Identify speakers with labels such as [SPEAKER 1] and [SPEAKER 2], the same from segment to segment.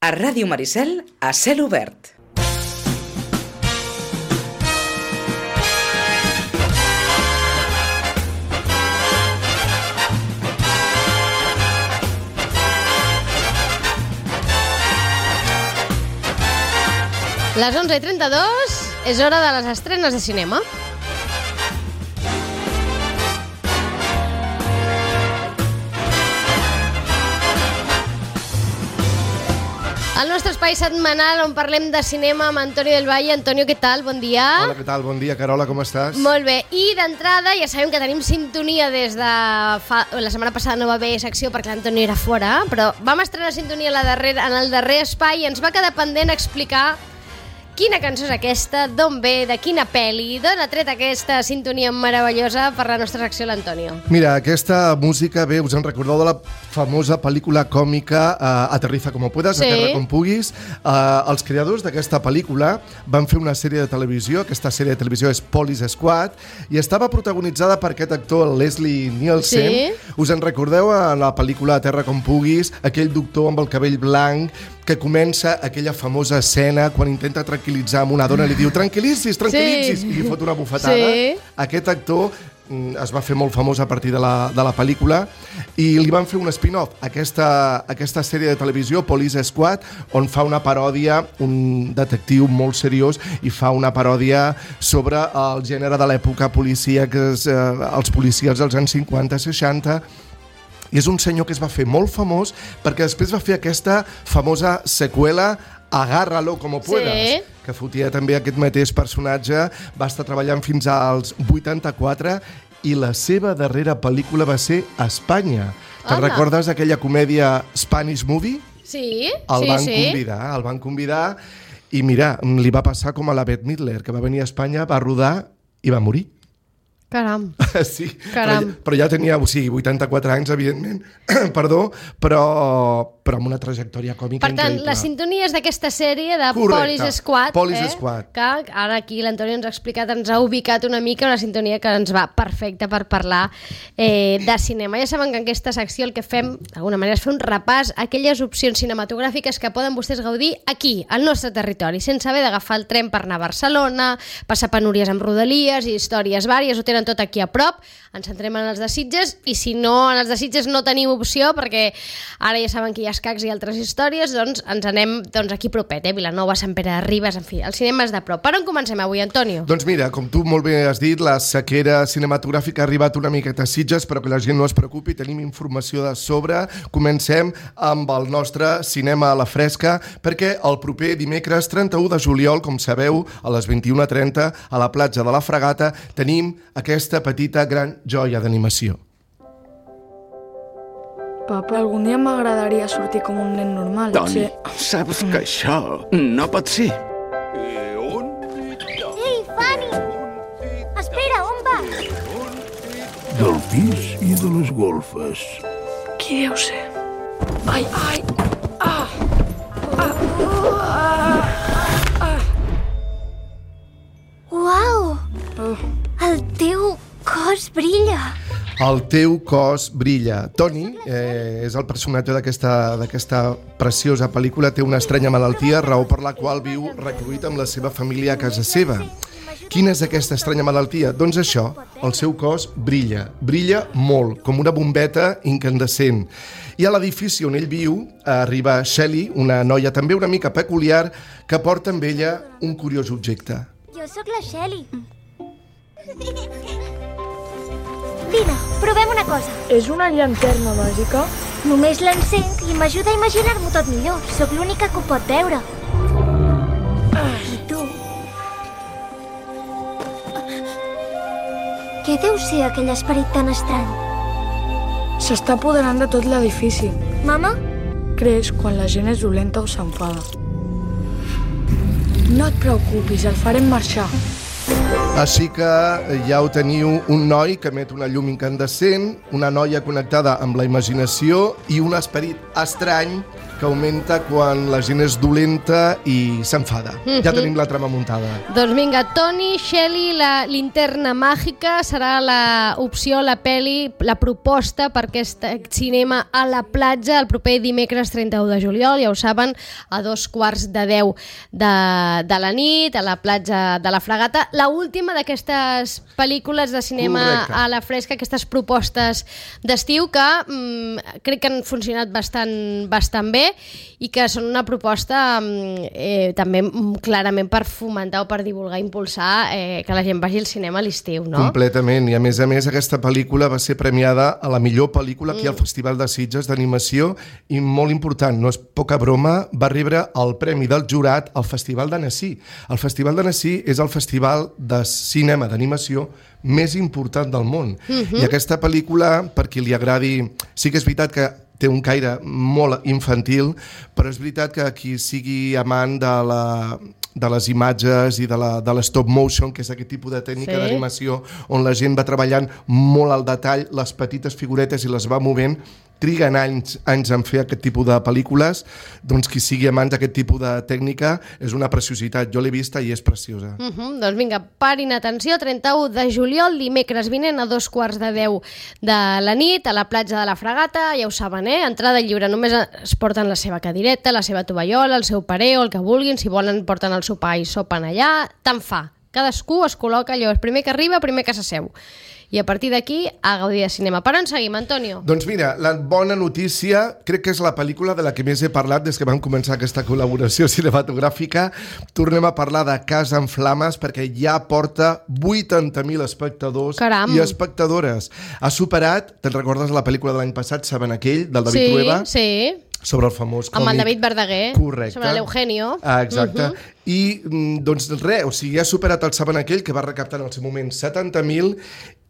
[SPEAKER 1] A Ràdio Maricel, a cel obert.
[SPEAKER 2] Les 11:32 és hora de les estrenes de cinema. El nostre espai setmanal on parlem de cinema amb Antonio del Valle. Antonio, què tal? Bon dia.
[SPEAKER 3] Hola, què tal? Bon dia, Carola, com estàs?
[SPEAKER 2] Molt bé. I d'entrada ja sabem que tenim sintonia des de la setmana passada no va haver secció perquè l'Antonio era fora, però vam estrenar sintonia en el darrer espai i ens va quedar pendent explicar quina cançó és aquesta, d'on ve, de quina pel·li, d'on ha tret aquesta sintonia meravellosa per la nostra secció l'Antonio.
[SPEAKER 3] Mira, aquesta música ve, us en recordeu de la famosa pel·lícula còmica Aterriza como puedas,
[SPEAKER 2] Sí.
[SPEAKER 3] Aterra com puguis. Els creadors d'aquesta pel·lícula van fer una sèrie de televisió, aquesta sèrie de televisió és Police Squad, i estava protagonitzada per aquest actor, Leslie Nielsen.
[SPEAKER 2] Sí.
[SPEAKER 3] Us en recordeu en la pel·lícula Aterra com puguis, aquell doctor amb el cabell blanc que comença aquella famosa escena quan intenta tranquil·litzar amb una dona i li diu tranquil·litzis, tranquil·litzis,
[SPEAKER 2] Sí.
[SPEAKER 3] i li fot una bufetada.
[SPEAKER 2] Sí.
[SPEAKER 3] Aquest actor es va fer molt famós a partir de la pel·lícula i li van fer un spin-off, aquesta sèrie de televisió, Police Squad, on fa una paròdia, un detectiu molt seriós, i fa una paròdia sobre el gènere de l'època policíac, els policies dels anys 50-60, i és un senyor que es va fer molt famós perquè després va fer aquesta famosa seqüela Agárralo como puedas,
[SPEAKER 2] Sí.
[SPEAKER 3] que fotia també aquest mateix personatge, va estar treballant fins als 84 i la seva darrera pel·lícula va ser a Espanya. Te'n
[SPEAKER 2] Home.
[SPEAKER 3] recordes aquella comèdia Spanish Movie?
[SPEAKER 2] Sí,
[SPEAKER 3] El van convidar i mira, li va passar com a la Bette Midler, que va venir a Espanya, va rodar i va morir.
[SPEAKER 2] Caram.
[SPEAKER 3] Sí,
[SPEAKER 2] Caram.
[SPEAKER 3] però ja tenia, 84 anys, evidentment, perdó, però amb una trajectòria còmica
[SPEAKER 2] Per tant,
[SPEAKER 3] increïble.
[SPEAKER 2] la sintonia és d'aquesta sèrie de
[SPEAKER 3] Correcte.
[SPEAKER 2] Police Squad,
[SPEAKER 3] Police Squad.
[SPEAKER 2] que ara aquí l'Antonio ens ha explicat, ens ha ubicat una mica, una sintonia que ens va perfecta per parlar de cinema. Ja saben que en aquesta secció el que fem, d'alguna manera, és fer un repàs a aquelles opcions cinematogràfiques que poden vostès gaudir aquí, al nostre territori, sense haver d'agafar el tren per anar a Barcelona, passar penúries amb rodalies i històries vàries, ho tenen tot aquí a prop. Ens centrem en els de Sitges i si no, en els de Sitges no tenim opció perquè ara ja saben que hi ha escacs i altres històries, doncs ens anem aquí propet, Vilanova, Sant Pere de Ribes, en fi, el cinema és de prop. Per on comencem avui, Antonio?
[SPEAKER 3] Doncs mira, com tu molt bé has dit, la sequera cinematogràfica ha arribat una miqueta a Sitges, però que la gent no es preocupi, tenim informació de sobre. Comencem amb el nostre cinema a la fresca, perquè el proper dimecres 31 de juliol, com sabeu, a les 21:30, a la platja de la Fragata, tenim aquesta petita gran joia d'animació.
[SPEAKER 4] Papa, algun dia m'agradaria sortir com un nen normal.
[SPEAKER 5] Toni, saps que això no pot ser.
[SPEAKER 6] Ei, Fanny! Espera, on vas?
[SPEAKER 7] Del pis i de les golfes.
[SPEAKER 4] Qui deu ser? Ai, ai! Ah!
[SPEAKER 6] Uau! El teu cos brilla.
[SPEAKER 3] El teu cos brilla. Toni és el personatge d'aquesta preciosa pel·lícula, té una estranya malaltia, raó per la qual viu recluït amb la seva família a casa seva. Quina és aquesta estranya malaltia? Doncs això, el seu cos brilla. Brilla molt, com una bombeta incandescent. I a l'edifici on ell viu arriba Shelley, una noia també una mica peculiar, que porta amb ella un curiós objecte.
[SPEAKER 6] Jo sóc la Shelly. Vine, provem una cosa.
[SPEAKER 4] És una llanterna màgica?
[SPEAKER 6] Només l'encenc i m'ajuda a imaginar-m'ho tot millor. Sóc l'única que ho pot veure. I tu? Què deu ser aquell esperit tan estrany?
[SPEAKER 4] S'està apoderant de tot l'edifici.
[SPEAKER 6] Mama?
[SPEAKER 4] Creix quan la gent és dolenta o s'enfada. No et preocupis, el farem marxar.
[SPEAKER 3] Així que ja ho teniu, un noi que emet una llum incandescent, una noia connectada amb la imaginació i un esperit estrany que augmenta quan la gent és dolenta i s'enfada. Ja tenim la trama muntada.
[SPEAKER 2] Doncs vinga, Toni, Shelley, la linterna màgica serà l'opció, la peli, la proposta per aquest cinema a la platja el proper dimecres 31 de juliol, ja ho saben, a 9:15 de la nit, a la platja de la Fragata. La última d'aquestes pel·lícules de cinema a la fresca, aquestes propostes d'estiu que crec que han funcionat bastant bé i que són una proposta també clarament per fomentar o per divulgar, impulsar que la gent vagi al cinema a l'estiu, no?
[SPEAKER 3] Completament, i a més aquesta pel·lícula va ser premiada a la millor pel·lícula aquí al Festival de Sitges d'animació i molt important, no és poca broma, va rebre el premi del jurat al Festival d'Annecy. El Festival d'Annecy és el festival de cinema d'animació més important del món. I aquesta pel·lícula, per qui li agradi, sí que és veritat que té un caire molt infantil, però és veritat que qui sigui amant de les imatges i de l'stop motion, que és aquest tipus de tècnica d'animació on la gent va treballant molt al detall, les petites figuretes i les va movent, triguen anys en fer aquest tipus de pel·lícules, doncs qui sigui amant d'aquest tipus de tècnica és una preciositat. Jo l'he vista i és preciosa.
[SPEAKER 2] Doncs vinga, parin atenció, 31 de juliol, dimecres vinent a 9:15 de la nit, a la platja de la Fragata, ja ho saben, entrada lliure, només es porten la seva cadireta, la seva tovallola, el seu pareo, el que vulguin, si volen porten el sopar i sopen allà, tant fa. Cadascú es col·loca allò, el primer que arriba, primer que s'asseu. I a partir d'aquí, a gaudir de cinema. Per on seguim, Antonio?
[SPEAKER 3] Doncs mira, la bona notícia, crec que és la pel·lícula de la que més he parlat des que vam començar aquesta col·laboració cinematogràfica. Tornem a parlar de Casa en Flames perquè ja porta 80.000 espectadors i espectadores. Ha superat, te'n recordes la pel·lícula de l'any passat, Saben aquell, del David Trueba?
[SPEAKER 2] Sí.
[SPEAKER 3] Sobre el famós còmic.
[SPEAKER 2] Amb el David Verdaguer.
[SPEAKER 3] Correcte.
[SPEAKER 2] Sobre l'Eugenio.
[SPEAKER 3] Exacte. I, doncs res, o sigui, ha superat el Saben aquell, que va recaptar en el seu moment 70.000,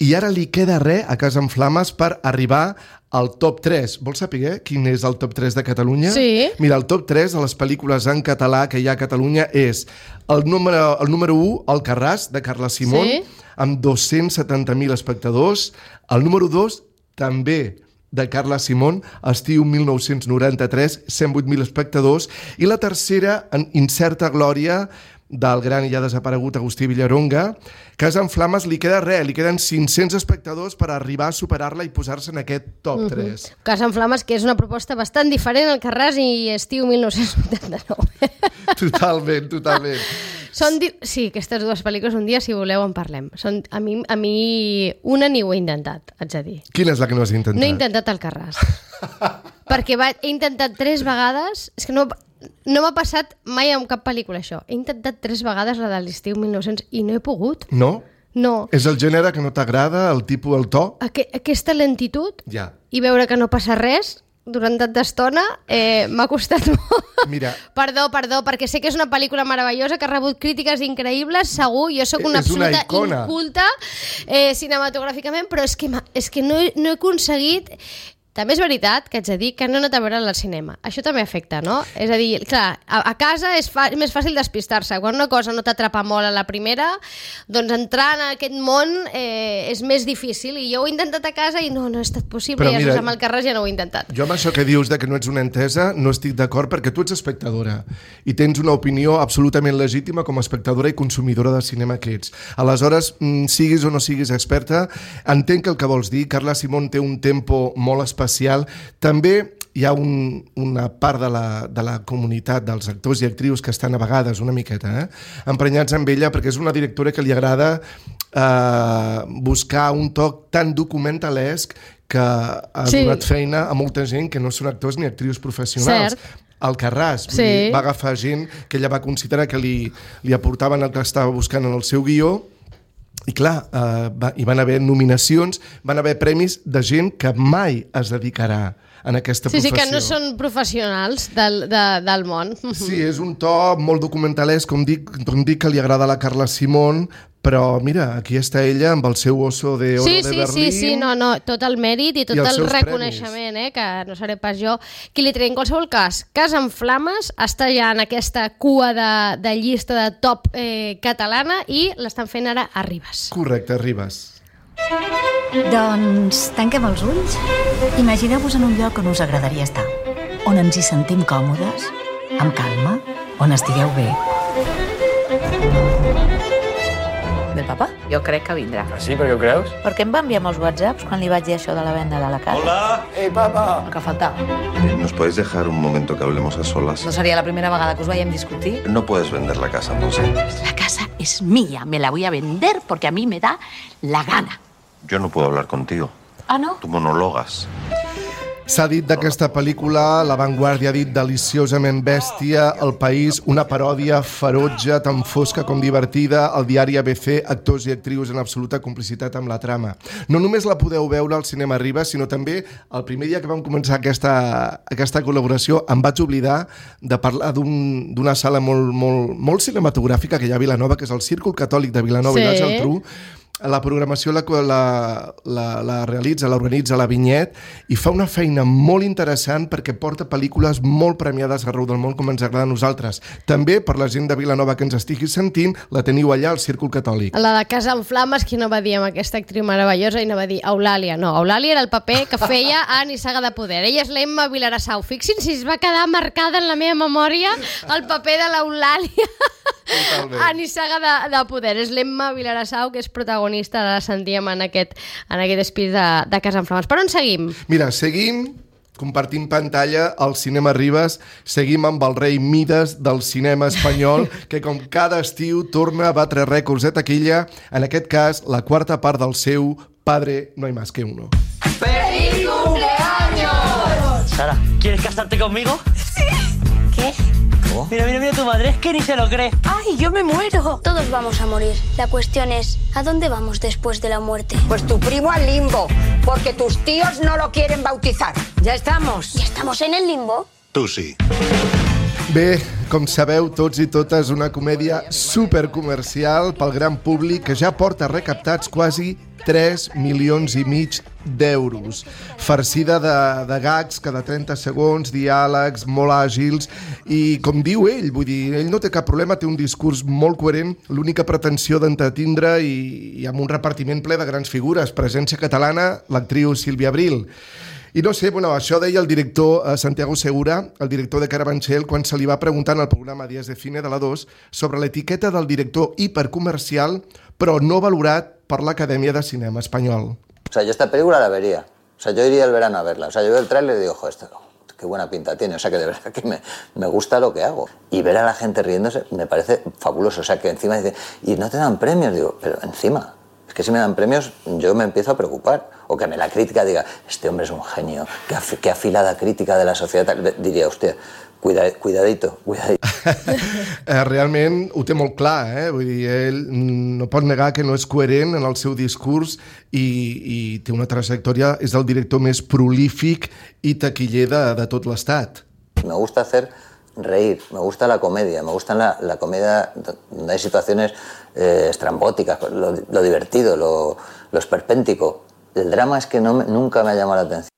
[SPEAKER 3] i ara li queda res a Casa en Flames per arribar al top 3. Vols saber quin és el top 3 de Catalunya?
[SPEAKER 2] Sí.
[SPEAKER 3] Mira, el top 3 de les pel·lícules en català que hi ha a Catalunya és el número 1, Alcarràs, de Carla Simón, amb 270.000 espectadors. El número 2, també de Carla Simón, estiu 1993, 108.000 espectadors, i la tercera, en Incerta glòria, del gran i ja desaparegut Agustí Villaronga. Casa en Flames li queda res, li queden 500 espectadors per arribar a superar-la i posar-se en aquest top 3.
[SPEAKER 2] Casa en Flames, que és una proposta bastant diferent al Carràs i estiu 1989.
[SPEAKER 3] Totalment.
[SPEAKER 2] Sí, aquestes dues pel·lícules, un dia, si voleu, en parlem. A mi una ni ho he intentat, haig de dir.
[SPEAKER 3] Quina és la que no has intentat?
[SPEAKER 2] No he intentat el Carràs. Perquè he intentat 3 vegades... És que no m'ha passat mai amb cap pel·lícula, això. He intentat 3 vegades la de l'estiu 1900 i no he pogut.
[SPEAKER 3] No?
[SPEAKER 2] No.
[SPEAKER 3] És el gènere que no t'agrada, el tipus, el to?
[SPEAKER 2] Aquesta lentitud
[SPEAKER 3] ja.
[SPEAKER 2] I veure que no passa res durant tanta estona m'ha costat molt.
[SPEAKER 3] Mira.
[SPEAKER 2] Perdó, perquè sé que és una pel·lícula meravellosa que ha rebut crítiques increïbles, segur, jo sóc una absoluta inculta cinematogràficament, però és que no he aconseguit... També és veritat que haig de dir que no he anat a veure al cinema. Això també afecta, no? És a dir, clar, a casa és més fàcil despistar-se. Quan una cosa no t'atrapa molt a la primera, doncs entrar en aquest món és més difícil. I jo ho he intentat a casa i no ha estat possible. Però i mira, amb el Carràs ja no ho he intentat.
[SPEAKER 3] Jo amb això que dius de que no ets una entesa no estic d'acord perquè tu ets espectadora i tens una opinió absolutament legítima com a espectadora i consumidora de cinema que ets. Aleshores, siguis o no siguis experta, entenc el que vols dir. Carla Simón té un tempo molt especial. També hi ha una part de la comunitat dels actors i actrius que estan a vegades una miqueta emprenyats amb ella perquè és una directora que li agrada buscar un toc tan documentalesc que ha donat feina a molta gent que no són actors ni actrius professionals. El Carràs va agafar gent que ella va considerar que li aportaven el que estava buscant en el seu guió. I clar, hi van haver nominacions, van haver premis de gent que mai es dedicarà en aquesta professió.
[SPEAKER 2] Sí, que no són professionals del món.
[SPEAKER 3] Sí, és un to molt documentalesc, com dic que li agrada a la Carla Simón, però mira, aquí està ella amb el seu Oso de Oro de Berlín.
[SPEAKER 2] Sí, tot el mèrit i tot el reconeixement, que no seré pas jo qui li treu. En qualsevol cas, Casa en Flames està ja en aquesta cua de llista de top catalana i l'estan fent ara a Ribes.
[SPEAKER 3] Correcte, a Ribes.
[SPEAKER 8] Doncs tanquem els ulls. Imagineu-vos en un lloc on us agradaria estar. on ens hi sentim còmodes, amb calma, on estigueu bé.
[SPEAKER 9] Del papa? Jo crec que vindrà.
[SPEAKER 10] Ah, sí? Per què ho creus?
[SPEAKER 9] Perquè em va enviar molts whatsapps quan li vaig dir això de la venda de la casa.
[SPEAKER 10] Hola! Ei, papa!
[SPEAKER 9] El que faltava.
[SPEAKER 11] ¿Nos podéis dejar un momento que hablemos a solas?
[SPEAKER 9] No seria la primera vegada que us veiem discutir?
[SPEAKER 11] No puedes vender la casa, Monse.
[SPEAKER 12] La casa es mía, me la voy a vender porque a mí me da la gana.
[SPEAKER 11] Yo no puedo hablar contigo.
[SPEAKER 12] Ah, no?
[SPEAKER 11] Tu monologues.
[SPEAKER 3] S'ha dit d'aquesta pel·lícula, La Vanguardia ha dit deliciosament bèstia, El País, una paròdia ferotge, tan fosca com divertida, el diari ABC, actors i actrius en absoluta complicitat amb la trama. No només la podeu veure al Cinema Ribes, sinó també el primer dia que vam començar aquesta col·laboració em vaig oblidar de parlar d'una sala molt cinematogràfica que hi ha a Vilanova, que és el Círcul Catòlic de Vilanova i la Geltrú. La programació la realitza, l'organitza la Vinyet i fa una feina molt interessant perquè porta pel·lícules molt premiades arreu del món com ens agrada a nosaltres. També, per la gent de Vilanova que ens estigui sentint, la teniu allà al Círcul Catòlic.
[SPEAKER 2] La de Casa en Flames, qui no va dir amb aquesta actriu meravellosa i no va dir Eulàlia. No, Eulàlia era el paper que feia a Nissaga de Poder. Ella és l'Emma Vilarassau. Fixin si es va quedar marcada en la meva memòria el paper de l'Eulàlia a Nissaga de Poder. És l'Emma Vilarassau, que és protagonista, la sentíem en aquest espírit de Casa en Flames. Per on seguim?
[SPEAKER 3] Mira, seguim compartint pantalla al Cinema Ribes, seguim amb el rei Mides del cinema espanyol, que com cada estiu torna a batre rècords de taquilla, en aquest cas la quarta part del seu Padre no hay más que uno.
[SPEAKER 13] ¡Feliz cumpleaños!
[SPEAKER 14] Sara, ¿quieres casarte conmigo?
[SPEAKER 13] Sí. ¿Qué?
[SPEAKER 14] ¿Cómo? Mira tu madre, es que ni se lo cree.
[SPEAKER 13] ¡Ay, yo me muero! Todos vamos a morir. La cuestión es, ¿a dónde vamos después de la muerte?
[SPEAKER 15] Pues tu primo al limbo, porque tus tíos no lo quieren bautizar. ¿Ya estamos?
[SPEAKER 13] ¿Ya estamos en el limbo?
[SPEAKER 11] Tu sí.
[SPEAKER 3] Bé, com sabeu tots i totes, una comèdia supercomercial pel gran públic que ja porta recaptats quasi 3,5 milions d'euros. Farcida de gags cada 30 segons, diàlegs molt àgils i, com diu ell, vull dir, ell no té cap problema, té un discurs molt coherent, l'única pretensió d'entretindre i amb un repartiment ple de grans figures. Presència catalana, l'actriu Sílvia Abril. I no sé, bueno, això deia el director Santiago Segura, el director de Carabanchel, quan se li va preguntar en el programa Días de Cine de la 2 sobre l'etiqueta del director hipercomercial, però no valorat per l'Acadèmia de Cinema Espanyol.
[SPEAKER 16] O sea, yo esta película la vería. O sea, yo iría el verano a verla. O sea, yo veo el tráiler y digo, joder, qué buena pinta tiene. O sea, que de verdad que me gusta lo que hago. Y ver a la gente riéndose me parece fabuloso. O sea, que encima dice, ¿y no te dan premios? Digo, pero encima... Es que si me dan premios, yo me empiezo a preocupar. O que me la crítica diga, este hombre es un genio, qué afilada crítica de la societat. Diria, hòstia, cuidadito.
[SPEAKER 3] Realment ho té molt clar, vull dir, ell no pot negar que no és coherent en el seu discurs i té una trajectòria, és el director més prolífic i taquiller de tot l'estat.
[SPEAKER 16] Me gusta hacer reír, me gusta la comedia, me gusta la comedia donde hay situaciones estrambóticas, lo divertido, lo esperpéntico. El drama es que nunca me ha llamado la atención.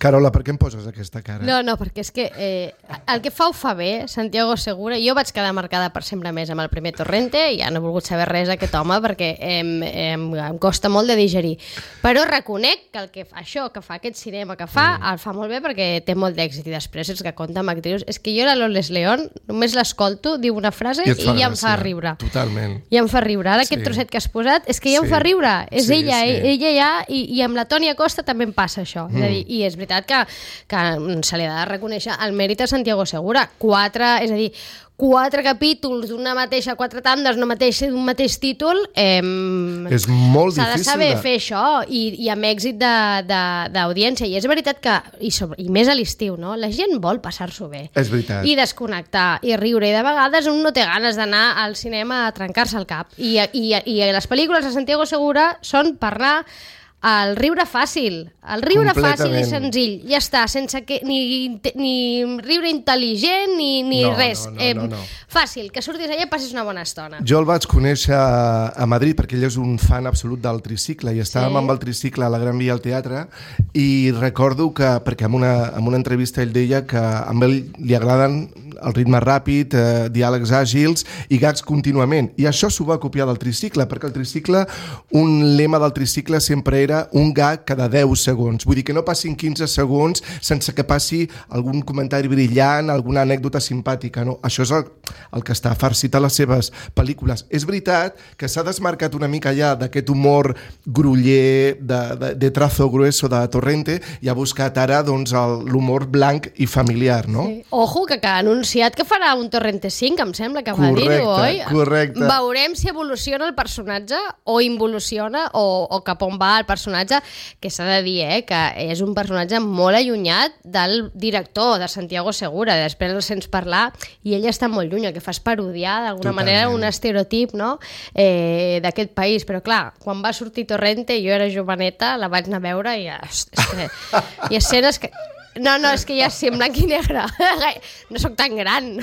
[SPEAKER 3] Carola, per què em poses aquesta cara?
[SPEAKER 2] No, perquè és que el que fa ho fa bé, Santiago Segura. Jo vaig quedar marcada per sempre més amb el primer Torrente i ja no he volgut saber res d'aquest home perquè em costa molt de digerir. Però reconec que això que fa aquest cinema que fa, el fa molt bé perquè té molt d'èxit i després és que compta amb actrius. És que jo la Loles León només l'escolto, diu una frase i ja em fa riure.
[SPEAKER 3] Totalment.
[SPEAKER 2] Ja em fa riure. Ara aquest trosset que has posat és que ja em fa riure. És ella ja, i amb la Tònia Costa també em passa això. És a dir, i és veritat que se li ha de reconèixer el mèrit a Santiago Segura. 4 capítols d'una mateixa, 4 tandes d'un mateix títol,
[SPEAKER 3] és molt difícil.
[SPEAKER 2] S'ha de saber fer això i amb èxit d'audiència. I és veritat que, i més a l'estiu, no? La gent vol passar-s'ho bé.
[SPEAKER 3] És veritat.
[SPEAKER 2] I desconnectar, i riure. I de vegades un no té ganes d'anar al cinema a trencar-se el cap. I les pel·lícules de Santiago Segura són per anar el riure fàcil i senzill, ja està, sense que ni riure intel·ligent ni res.
[SPEAKER 3] No.
[SPEAKER 2] Fàcil, que surtis allà i passis una bona estona.
[SPEAKER 3] Jo el vaig conèixer a Madrid perquè ell és un fan absolut del tricicle i estàvem amb el tricicle a la Gran Via al teatre i recordo que, perquè en una entrevista ell deia que a ell li agraden el ritme ràpid, diàlegs àgils i gags contínuament. I això s'ho va copiar del tricicle, perquè el tricicle, un lema del tricicle sempre era un gag cada 10 segons. Vull dir que no passin 15 segons sense que passi algun comentari brillant, alguna anècdota simpàtica, no? Això és el que està farcit a les seves pel·lícules. És veritat que s'ha desmarcat una mica ja d'aquest humor gruller, de trazo grueso de Torrente, i ha buscat ara doncs, l'humor blanc i familiar, no?
[SPEAKER 2] Sí. Ojo, que ha anunciat que farà un Torrente 5, em sembla que va dir-ho, oi?
[SPEAKER 3] Correcte.
[SPEAKER 2] Veurem si evoluciona el personatge o involuciona o cap on va el personatge, que s'ha de dir, que és un personatge molt allunyat del director, de Santiago Segura. Després el sents parlar i ell està molt lluny, el que fa és parodiar d'alguna manera un estereotip, no? D'aquest país. Però clar, quan va sortir Torrente, jo era joveneta, la vaig anar a veure i és que hi ha escenes que... No, és que ja sé, en blanc i negre. No sóc tan gran.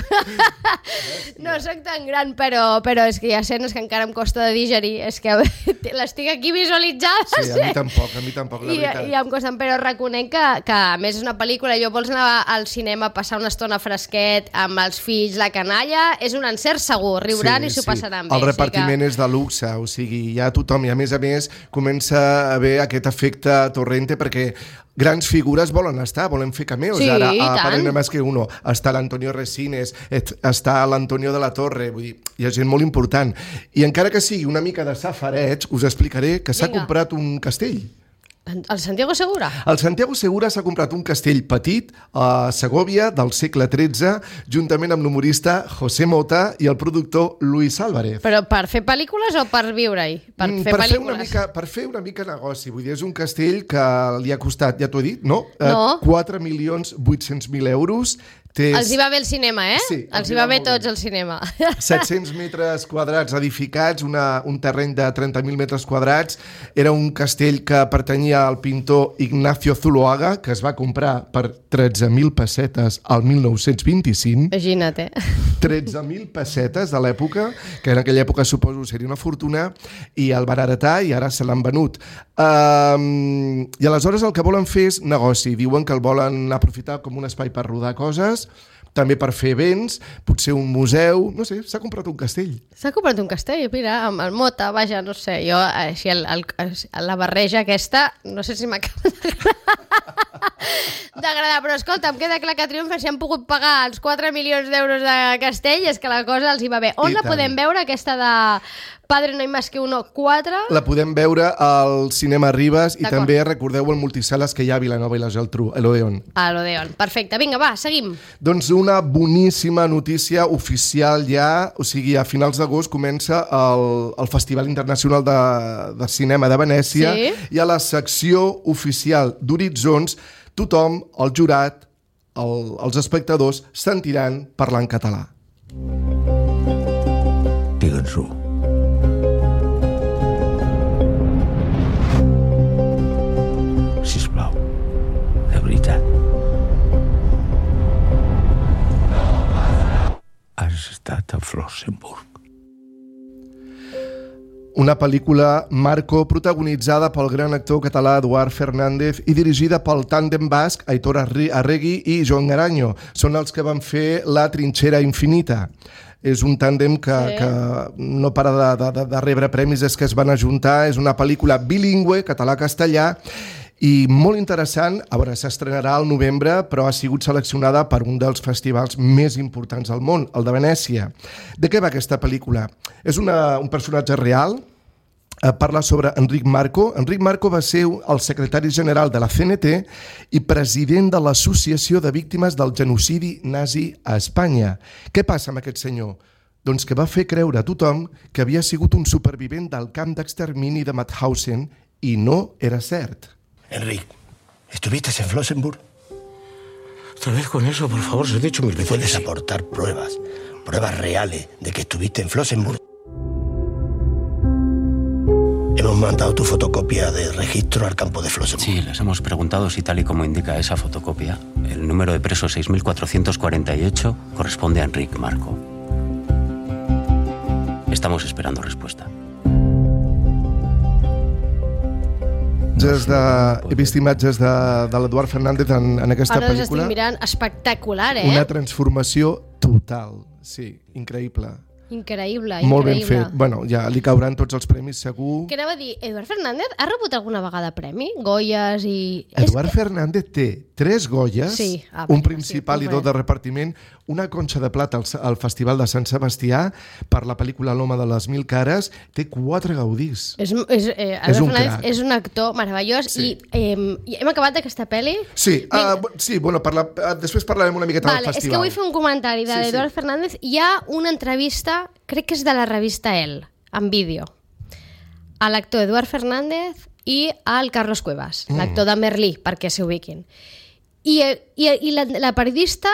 [SPEAKER 2] No sóc tan gran, però és que hi ha escenes que encara em costa de digerir. És que l'estic aquí visualitzada.
[SPEAKER 3] Sí, a mi tampoc, la veritat.
[SPEAKER 2] I em costen, però reconec que a més és una pel·lícula, jo vols anar al cinema a passar una estona fresquet amb els fills, la canalla, és un encert segur, riuran i s'ho passaran bé.
[SPEAKER 3] El repartiment és de luxe, o sigui, hi ha tothom, i a més comença a haver aquest efecte Torrente, perquè grans figures volen fer cameos.
[SPEAKER 2] Sí,
[SPEAKER 3] ara,
[SPEAKER 2] a
[SPEAKER 3] Padrino Más que Uno, està l'Antonio Resines, està l'Antonio de la Torre, vull dir, hi ha gent molt important. I encara que sigui una mica de safareig, us explicaré que s'ha comprat un castell.
[SPEAKER 2] El Santiago Segura?
[SPEAKER 3] El Santiago Segura s'ha comprat un castell petit a Segòvia del segle XIII, juntament amb l'humorista José Mota i el productor Luis Álvarez.
[SPEAKER 2] Però per fer pel·lícules o per viure-hi? Per
[SPEAKER 3] fer una mica negoci. Vull dir, és un castell que li ha costat, ja t'ho he dit, no?
[SPEAKER 2] No.
[SPEAKER 3] 4.800.000 euros.
[SPEAKER 2] Els hi va bé el cinema,
[SPEAKER 3] Sí,
[SPEAKER 2] els hi va bé tots el cinema.
[SPEAKER 3] 700 metres quadrats edificats, un terreny de 30.000 metres quadrats. Era un castell que pertanyia al pintor Ignacio Zuloaga, que es va comprar per 13.000 pessetes al 1925.
[SPEAKER 2] Imagina't,
[SPEAKER 3] 13.000 pessetes de l'època, que en aquella època suposo seria una fortuna, i el van heretar i ara se l'han venut. I aleshores el que volen fer és negoci. Diuen que el volen aprofitar com un espai per rodar coses, també per fer events, potser un museu, no sé, s'ha comprat un castell.
[SPEAKER 2] S'ha comprat un castell, mira, amb el Mota, vaja, no sé, jo, així, la barreja aquesta, no sé si m'acaba d'agradar, però escolta, em queda clar que triomfen, si han pogut pagar els 4 milions d'euros de castell, és que la cosa els hi va bé. On la podem veure, aquesta de Padre no hay más que uno 4?
[SPEAKER 3] La podem veure al Cinema Ribes i també recordeu el multisales que hi ha a Vilanova i la Geltrú, a l'Odeon.
[SPEAKER 2] A l'Odeon, perfecte. Vinga, va, seguim.
[SPEAKER 3] Doncs una boníssima notícia oficial ja, o sigui, a finals d'agost comença el Festival Internacional de Cinema de Venècia i a la secció oficial d'Horitzons tothom, el jurat, els espectadors, sentiran parlar en català.
[SPEAKER 7] Digue'ns-ho. Sisplau, de veritat. Has estat a Flossenburg.
[SPEAKER 3] Una pel·lícula Marco protagonitzada pel gran actor català Eduard Fernández i dirigida pel tàndem basc Aitor Arregui i Joan Garanyo. Són els que van fer La trinxera infinita. És un tàndem que no para de rebre premis des que es van ajuntar. És una pel·lícula bilingüe, català-castellà, i molt interessant. A veure, s'estrenarà al novembre, però ha sigut seleccionada per un dels festivals més importants del món, el de Venècia. De què va aquesta pel·lícula? És un personatge real, parla sobre Enric Marco. Enric Marco va ser el secretari general de la CNT i president de l'Associació de Víctimes del Genocidi Nazi a Espanya. Què passa amb aquest senyor? Doncs que va fer creure a tothom que havia sigut un supervivent del camp d'extermini de Mauthausen i no era cert.
[SPEAKER 17] Enric, ¿estuviste en Flossenburg?
[SPEAKER 10] Otra vez con eso, por favor, se he dicho mil veces.
[SPEAKER 17] ¿Puedes aportar pruebas reales de que estuviste en Flossenburg? Hemos mandado tu fotocopia de registro al campo de Flossenburg.
[SPEAKER 18] Sí, les hemos preguntado si tal y como indica esa fotocopia, el número de preso 6448 corresponde a Enric Marco. Estamos esperando respuesta.
[SPEAKER 3] He vist imatges de l'Eduard Fernández en aquesta pel·lícula.
[SPEAKER 2] Ara les estic mirant, espectacular,
[SPEAKER 3] Una transformació total. Brutal, sí, increïble.
[SPEAKER 2] Increïble.
[SPEAKER 3] Molt ben fet. Bueno, ja li cauran tots els premis, segur.
[SPEAKER 2] Què anava a dir? Eduard Fernández ha rebut alguna vegada premi? Goyes i...
[SPEAKER 3] Eduard Fernández té 3 Goyes,
[SPEAKER 2] sí.
[SPEAKER 3] un principal i 2 de repartiment, una conxa de plata al Festival de Sant Sebastià per la pel·lícula L'home de les 1000 cares, té 4 Gaudís.
[SPEAKER 2] Eduard Fernández és un actor meravellós. Sí. I hem acabat d'aquesta pel·li?
[SPEAKER 3] Sí, bueno, després parlarem una miqueta del festival.
[SPEAKER 2] És que vull fer un comentari d'Eduard Fernández. Hi ha una entrevista, crec que és de la revista El, en vídeo, a l'actor Eduard Fernández i al Carlos Cuevas, l'actor de Merlí, perquè s'ubiquin. I la periodista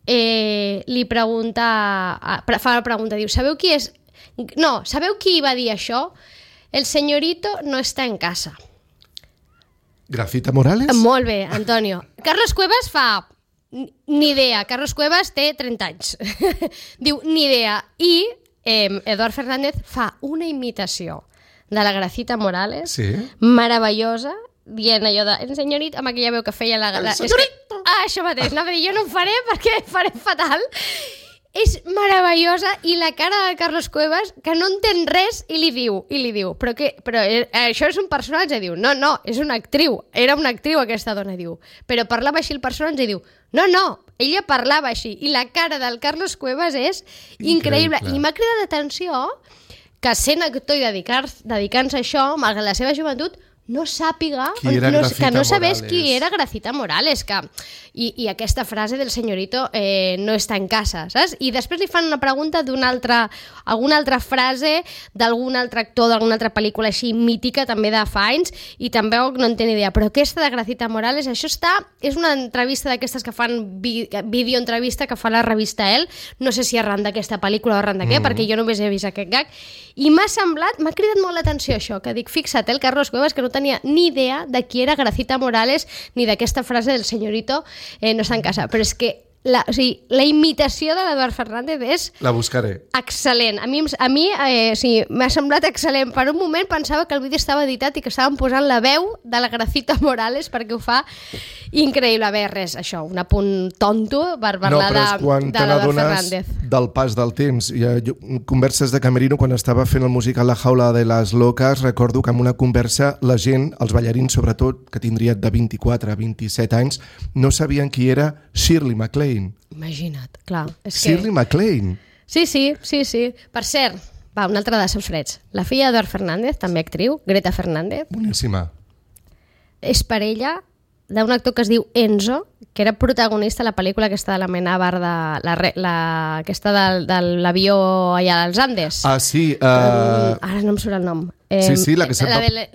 [SPEAKER 2] li pregunta, fa la pregunta, diu, sabeu qui va dir això? El señorito no está en casa.
[SPEAKER 3] Gracita Morales?
[SPEAKER 2] Molt bé, Antonio. Carlos Cuevas fa... Ni idea. Carlos Cuevas té 30 anys. Diu, ni idea. I Eduard Fernández fa una imitació de la Gracita Morales, meravellosa, dient allò de el senyorito, amb aquella veu que feia la... El senyorito! Això mateix. No, jo no ho faré perquè faré fatal. És meravellosa i la cara de Carlos Cuevas, que no entén res, i li diu, però això és un personatge, diu, no, és una actriu, era una actriu aquesta dona, diu, però parlava així el personatge, diu, no, ella parlava així, i la cara del Carlos Cuevas és increïble. I m'ha cridat l'atenció que sent actor i dedicant-se a això, malgrat la seva joventut, no sàpiga, que no sabés qui era Gracita Morales, i aquesta frase del senyorito no està en casa, saps? I després li fan una pregunta alguna altra frase d'algun altre actor d'alguna altra pel·lícula així mítica també de fa anys, i tampoc no en té ni idea, però aquesta de Gracita Morales, això és una entrevista d'aquestes que fan videoentrevista que fa la revista El, no sé si arran d'aquesta pel·lícula o arran de què, perquè jo només he vist aquest gag, i m'ha cridat molt l'atenció això, que dic, fixa't, el Carlos Cuevas, que no tenia ni idea de qui era Gracita Morales ni d'aquesta frase del senyorito no està en casa, però és que la imitació de l'Eduard Fernández és...
[SPEAKER 3] La buscaré.
[SPEAKER 2] Excel·lent. A mi m'ha semblat excel·lent. Per un moment pensava que el vídeo estava editat i que estaven posant la veu de la Gracita Morales perquè ho fa increïble. Bé, res, això, un apunt tonto per parlar de l'Eduard Fernández.
[SPEAKER 3] Del pas del temps. Converses de camerino, quan estava fent el musical La jaula de les locas, recordo que en una conversa la gent, els ballarins sobretot, que tindrien de 24 a 27 anys, no sabien qui era Shirley MacLaine.
[SPEAKER 2] Imagina't, clar.
[SPEAKER 3] Shirley MacLaine.
[SPEAKER 2] Sí. Per cert, un altre de freds. La filla d'Eduard Fernández, també actriu, Greta Fernández. Boníssima. És parella d'un actor que es diu Enzo, que era protagonista a la pel·lícula aquesta de la Amenábar, aquesta de l'avió allà als Andes.
[SPEAKER 3] Ah, sí.
[SPEAKER 2] Ara no em surt el nom.
[SPEAKER 3] Sí, la que sempre...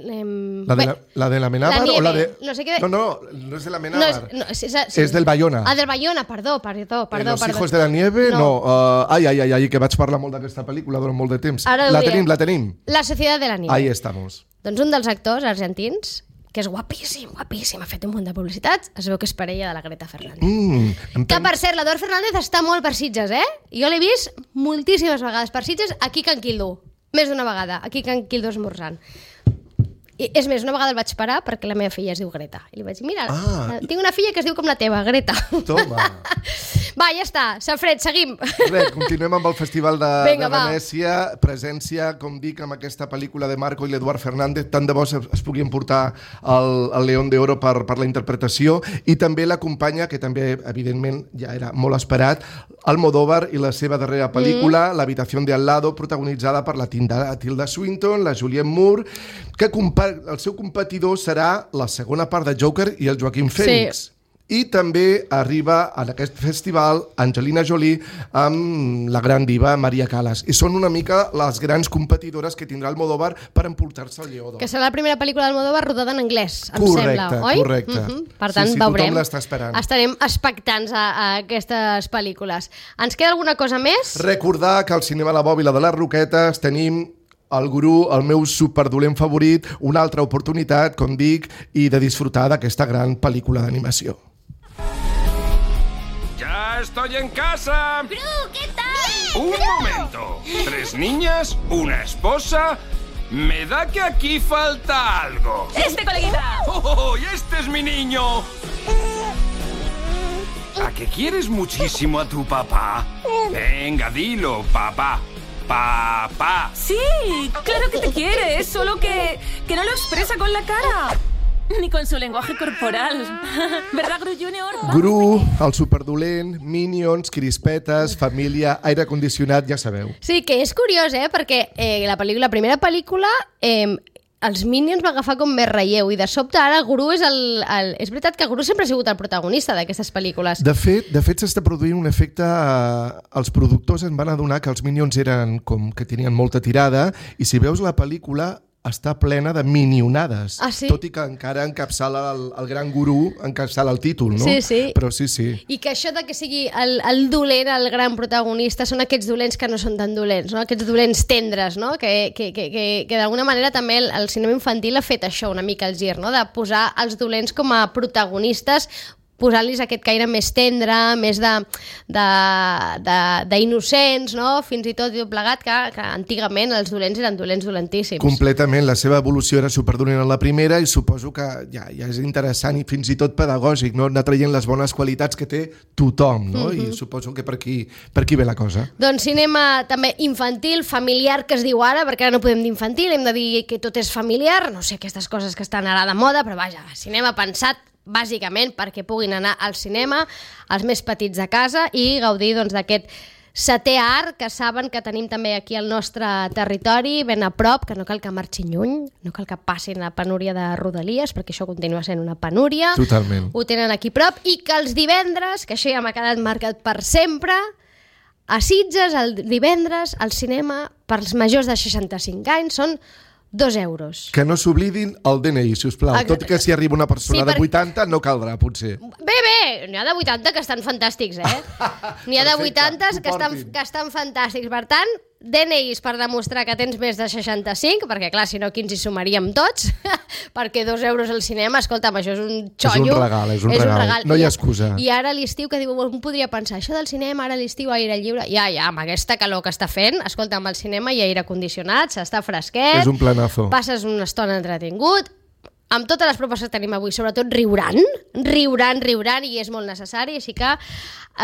[SPEAKER 3] La de l'Amenábar o la de...
[SPEAKER 2] No sé què...
[SPEAKER 3] No és de l'Amenábar. És del Bayona.
[SPEAKER 2] Ah, del Bayona, perdó.
[SPEAKER 3] Los hijos de la nieve, no. Ai, que vaig parlar molt d'aquesta pel·lícula durant molt de temps. La tenim.
[SPEAKER 2] La societat de la nieve.
[SPEAKER 3] Ahí estamos.
[SPEAKER 2] Doncs un dels actors argentins, que és guapíssim, ha fet un munt de publicitats, es veu que és parella de la Greta Fernández. Que, per cert, l'Eduard Fernández està molt per Sitges, Jo l'he vist moltíssimes vegades per Sitges, aquí a Can Quildo. Més d'una vegada, aquí a Can Quildo esmorzant. I, és més, una vegada el vaig parar perquè la meva filla es diu Greta. I li vaig dir, mira, tinc una filla que es diu com la teva, Greta.
[SPEAKER 3] Toma.
[SPEAKER 2] Va, ja està, Safred, seguim.
[SPEAKER 3] Res, continuem amb el Festival de Venècia. Presència, com dic, amb aquesta pel·lícula de Marco i l'Eduard Fernández. Tant de bo es pugui emportar el León de Oro per la interpretació. I també l'acompanya, que també, evidentment, ja era molt esperat, Almodóvar i la seva darrera pel·lícula, L'habitació de al lado, protagonitzada per la Tilda Swinton, la Julianne Moore, que el seu competidor serà la segona part de Joker i el Joaquim Phoenix. Sí. I també arriba en aquest festival Angelina Jolie amb la gran diva Maria Callas. I són una mica les grans competidores que tindrà Almodóvar per emportar-se el Lleó d'Or.
[SPEAKER 2] Que serà la primera pel·lícula d'Almodóvar rodada en anglès, em sembla, oi?
[SPEAKER 3] Correcte.
[SPEAKER 2] Per tant, veurem.
[SPEAKER 3] Tothom l'està esperant.
[SPEAKER 2] Estarem expectants a aquestes pel·lícules. Ens queda alguna cosa més?
[SPEAKER 3] Recordar que al Cinema La Bòbila de les Roquetes tenim el Gurú, el meu superdolent favorit, una altra oportunitat, com dic, i de disfrutar d'aquesta gran pel·lícula d'animació.
[SPEAKER 19] ¡Ya estoy en casa!
[SPEAKER 6] ¡Gru, qué tal!
[SPEAKER 19] ¡Un momento! 3 niñas, una esposa... Me da que aquí falta algo.
[SPEAKER 12] ¡Este, coleguita!
[SPEAKER 19] ¡Oh, y este es mi niño! ¿A que quieres muchísimo a tu papá? Venga, dilo, papá. Papá.
[SPEAKER 20] Sí, claro que te quiere, solo que no lo expresa con la cara. Ni con su lenguaje corporal. ¿Verdad, Gru Junior?
[SPEAKER 3] Gru, el superdolent, Minions, crispetes, família, aire condicionat, ja sabeu.
[SPEAKER 2] Sí, que és curiós, perquè la primera pel·lícula, els Minions va agafar com més relleu i de sobte ara Gru és és veritat que Gru sempre ha sigut el protagonista d'aquestes pel·lícules.
[SPEAKER 3] De fet s'està produint un efecte... Els productors en van adonar que els Minions eren com que tenien molta tirada i si veus la pel·lícula està plena de minionades.
[SPEAKER 2] Ah, sí?
[SPEAKER 3] Tot i que encara encapçala el gran gurú, encapçala el títol, no?
[SPEAKER 2] Sí, sí.
[SPEAKER 3] Però sí, sí.
[SPEAKER 2] I que això de que sigui el dolent, el gran protagonista, són aquests dolents que no són tan dolents, no? Aquests dolents tendres, no? Que d'alguna manera també el cinema infantil ha fet això una mica el gir, no? De posar els dolents com a protagonistes, posant-los aquest caire més tendre, més d'innocents, no? Fins i tot plegat, que antigament els dolents eren dolents dolentíssims.
[SPEAKER 3] Completament, la seva evolució era superdolent en la primera i suposo que ja és interessant i fins i tot pedagògic, no? Anar traient les bones qualitats que té tothom, no? I suposo que per aquí ve la cosa.
[SPEAKER 2] Doncs cinema també infantil, familiar, que es diu ara, perquè ara no podem dir infantil, hem de dir que tot és familiar, no sé, aquestes coses que estan ara de moda, però vaja, cinema pensat bàsicament perquè puguin anar al cinema els més petits de casa i gaudir d'aquest setè art que saben que tenim també aquí al nostre territori, ben a prop, que no cal que marxin lluny, no cal que passin la penúria de Rodalies, perquè això continua sent una penúria.
[SPEAKER 3] Totalment.
[SPEAKER 2] Ho tenen aquí prop i que els divendres, que això ja m'ha quedat marcat per sempre, a Sitges, el divendres, al cinema, per als majors de 65 anys, són 2 euros.
[SPEAKER 3] Que no s'oblidin el DNI, sisplau. Tot i que si arriba una persona de 80 no caldrà, potser.
[SPEAKER 2] Bé, n'hi ha de 80 que estan fantàstics, N'hi ha de 80 que estan fantàstics. Per tant, DNIs per demostrar que tens més de 65, perquè clar, si no aquí ens hi sumaríem tots, perquè 2 euros al cinema, escolta'm, això és un xollo.
[SPEAKER 3] És un regal. No hi ha excusa.
[SPEAKER 2] I ara a l'estiu, que diu, un podria pensar, això del cinema, ara a l'estiu, aire lliure, ja, amb aquesta calor que està fent, escolta'm, al cinema hi ha aire condicionat, s'està fresquet,
[SPEAKER 3] és un planazo.
[SPEAKER 2] Passes una estona entretingut, amb totes les propostes que tenim avui, sobretot riuran, i és molt necessari, així que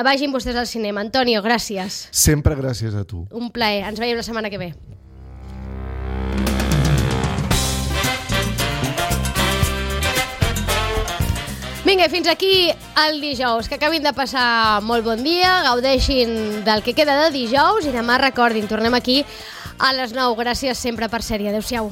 [SPEAKER 2] vagin vostès al cinema. Antonio, gràcies.
[SPEAKER 3] Sempre gràcies a tu.
[SPEAKER 2] Un plaer. Ens veiem la setmana que ve. Vinga, fins aquí el dijous. Que acabin de passar molt bon dia, gaudeixin del que queda de dijous i demà recordin, tornem aquí a les 9. Gràcies sempre per sèrie. Adéu-siau.